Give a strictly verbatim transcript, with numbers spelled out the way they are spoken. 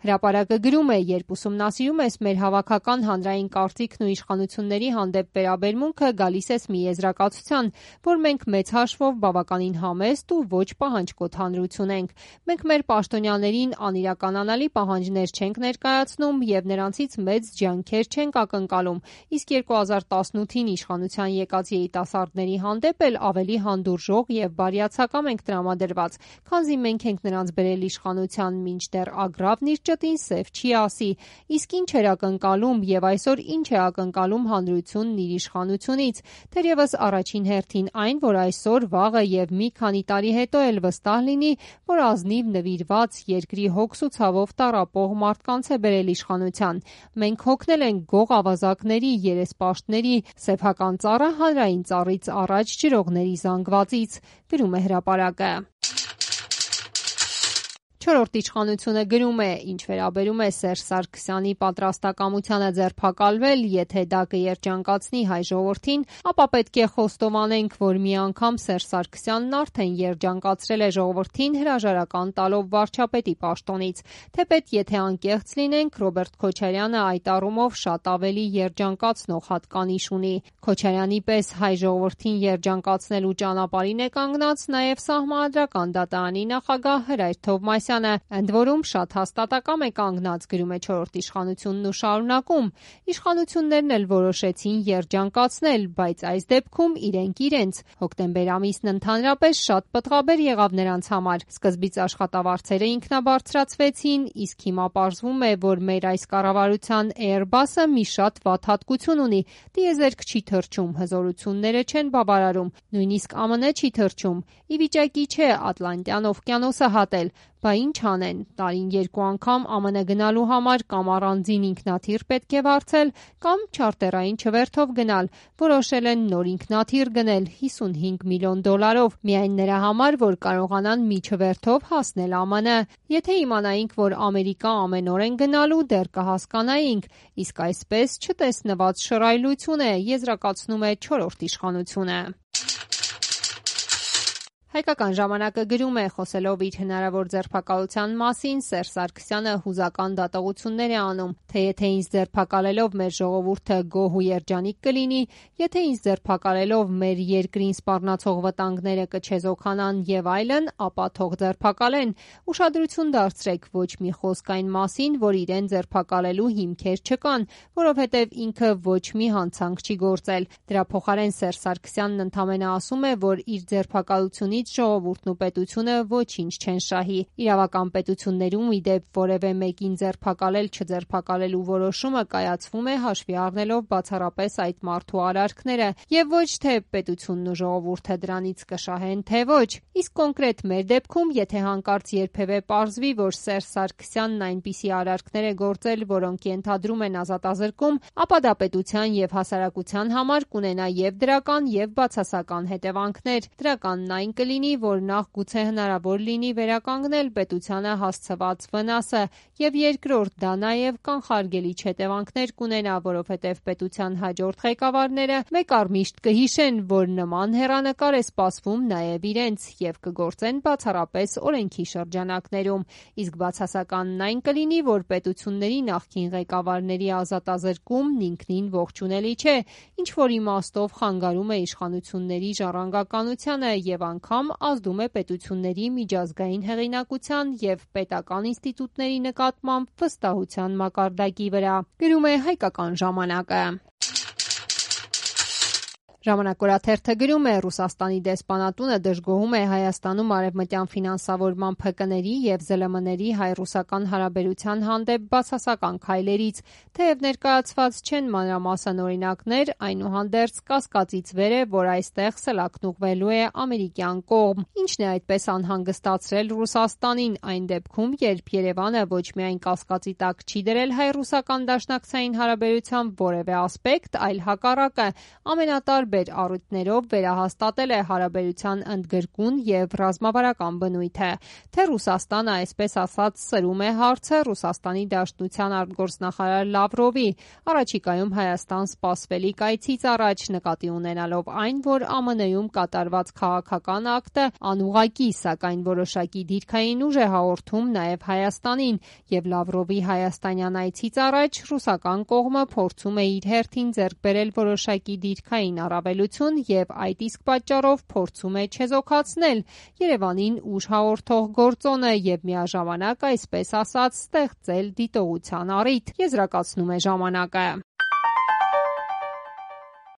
Հրապարակը գրում է. «Երբ ուսումնասիրում ես մեր հավաքական հանրային կարծիքն ու իշխանությունների հանդեպ վերաբերմունքը, գալիս ես մի եզրակացության, որ մենք մեծ հաշվով բավականին համեստ ու ոչ պահանջկոտ հանրություն ենք։ Մենք մեր պաշտոնյաներին անիրականանալի պահանջներ չենք ներկայացնում և նրանցից մեծ ջանքեր չենք ակնկալում, իսկ երկու հազար տասնութին իշխանության եկած երիտասարդների հանդեպ էլ ավելի հանդուրժող և բարյացակամ ենք տրամադրված, քանզի մենք ենք նրանց բերել իշխանության, մինչդեռ Ագռավն իր ճտին սև չի ասի։ Իսկ ինչ էր ակնկալում և այսօր ինչ է ակնկալում հանրությունն իր իշխանությունից։ Թերևս առաջին հերթին այն, որ այսօր, վաղը և մի քանի տարի հետո էլ վստահ լինի, որ ազնիվ նվիրված, երկրի հոգս ու ցավով տառապող մարդկանց է բերել իշխանության։ Մենք հոգնել ենք գող ավազակների, երեսպաշտների, սեփական ծառը հանրային ծառից առաջ ջրողների զանգվածից», գրում է հրապարակը։ Չորրորդ իշխանությունը գրում է. «Ինչ վերաբերում է Սերժ Սարգսյանի պատրաստակամությանը ձերբակալվել, եթե դա կերջանկացնի հայ ժողովրդին, ապա պետք է խոստովանենք, որ մի անգամ Սերժ Սարգսյանն արդեն երջանկացրել է ժողովրդին հրաժարական տալով վարչապետի պաշտոնից։ Թեպետ եթե անկեղծ լինենք, Ռոբերտ Քոչարյանը այդ առումով շատ ավելի երջանկացնող հատկանիշ ունի։ Քոչարյանի պես հայ ժողովրդին երջանկացնելու ճանապարհին է կանգնած նաև Սահմանադրական դատարանի նախագահ Հրայր Թովմասյանը, ընդ որում շատ հաստատակամ է կանգնած», գրում է չորրորդ իշխանությունն ու շարունակում. «Իշխանություններն էլ որոշեցին երջանկացնել, բայց այս դեպքում իրենք իրենց։ Հոկտեմբեր ամիսն ընդհանրապես շատ պտղաբեր եղավ նրանց համար։ Սկզբից աշխատավարձերը ինքնաբարձրացվեցին, իսկ հիմա պարզվում է, որ մեր այս կառավարության Airbus-ը մի շատ վատ հատկություն ունի՝ տիեզերք չի թռչում, հզորությունները չեն բավարարում, նույնիսկ ԱՄՆ չի թռչում, ի վիճակի չէ Ատլանտյան օվկիանոսը հատել։ Բա ինչ անեն, տարին երկու անգամ ԱՄՆ գնալու համար կամ առանձին ինքնաթիռ պետք է վարձել, կամ չարտերային չվերթով գնալ։ Որոշել են նոր ինքնաթիռ գնել հիսունհինգ միլիոն դոլարով, միայն նրա համար, որ կարողանան մի չվերթով հասնել ԱՄՆ։ Եթե իմանայինք, որ Ամերիկա ամենօրեն գնալու, դեռ կհասկանայինք։ Իսկ այսպես չտեսնված շռայլություն է», եզրակացնում է չորրորդ իշխանությունը։ Հայկական ժամանակը գրում է. «Խոսելով իր հնարավոր ձերբակալության մասին, Սերժ Սարգսյանը հուզական դատողություններ է անում, թե եթե ինձ ձերբակալելով մեր ժողովուրդը գոհ ու երջանիկ կլինի, եթե ինձ ձերբակալելով մեր երկրին սպառնացող վտանգները կչեզոքանան և այլն, ապա թող ձերբակալեն։ Ուշադրություն դարձրեք, ոչ մի խոսք այն մասին, որ իրեն ձերբակալելու հիմքեր չկան, որովհետև ինքը ոչ մի հանցանք չի գործել։ Դրա փոխարեն Սերժ Սարգսյանն ընդամենը ասում է, որ իր ձերբակալությունից ժողովուրդն ու պետությունը ոչինչ չեն շահի։ Իրավական պետություններում, ի դեպ, որևէ մեկին ձերբակալել չձերբակալելու որոշումը կայացվում է հաշվի առնելով բացառապես այդ մարդու արարքները, և ոչ թե պետությունն ու ժողովուրդը դրանից կշահեն, թե ոչ։ Իսկ կոնկրետ մեր դեպքում, եթե հանկարծ երբևէ պարզվի, որ Սերժ Սարգսյանն այնպիսի արարքներ է գործել, որոնք ենթադրում են ազատազրկում, ապա դա պետության և հասարակության համար կունենա և դրական, և բացասական հետևանքներ։ Դրականն այն կլինի, որ նախ գուցե հնարավոր լինի վերականգնել պետությանը հասցված վնասը, և երկրորդ դա նաև կանխարգելիչ հետևանքներ կունենա, որովհետև պետության հաջորդ ղեկավարները մեկ առ միշտ կհիշեն, որ նման հեռանկար է սպասվում նաև իրենց, և կգործեն բացառապես օրենքի շրջանակներում։ Իսկ բացասականն այն կլինի, որ պետությունների նախկին ղեկավարների ազատազրկումն ինքնին ողջունելի չէ, ինչ-որ իմաստով խանգարում է իշխանությունների ժառանգականությանը և անգամ ազդում է պետությունների միջազգային հեղինակության և պետական ինստիտուտների նկատմամբ վստահության մակարդակի վրա», գրում է Հայկական ժամանակը։ Ժամանակ օրաթերթը գրում է. «Ռուսաստանի դեսպանատունը դժգոհում է Հայաստանում արևմտյան ֆինանսավորման ՓԿ-ների և ԶԼՄ-ների հայ-ռուսական հարաբերության հանդեպ բացասական քայլերից։ Թեև ներկայացված չեն մանրամասն օրինակներ, այնուհանդերձ կասկածից վեր է, որ այստեղ սլաքն ուղղվելու է ամերիկյան կողմ։ Ինչն է այդպես անհանգստացրել Ռուսաստանին այն դեպքում, երբ Երևանը ոչ միայն կասկածի տակ չի դրել հայ-ռուսական դաշնակցային հարաբերության որևէ ասպեկտ, այլ հակառակը, ամենատարբեր տարբեր առիթներով վերահաստատել է հարաբերության ընդգրկուն եւ ռազմավարական բնույթը, թե Ռուսաստանը այսպես ասած սրում է հարցը Ռուսաստանի Դաշնության արտգործնախարար Լավրովի առաջիկայում Հայաստան սպասվելիք այցից առաջ, նկատի ունենալով այն, որ ԱՄՆ-ում կատարված քաղաքական ակտը անուղղակի, սակայն որոշակի դիրքային ուժ է հաղորդում նաեւ Հայաստանին, եւ Լավրովի հայաստանյան այցից առաջ ռուսական կողմը փորձում է իր հերթին ձեռք բերել որոշակի դիրքային առավելություն եւ այդ իսկ պատճառով փորձում է չեզոքացնել Երևանին ուժ հաղորդող գործոնը եւ միաժամանակ այսպես ասած ստեղծել դիտողության առիթ, եզրակացնում է ժամանակը։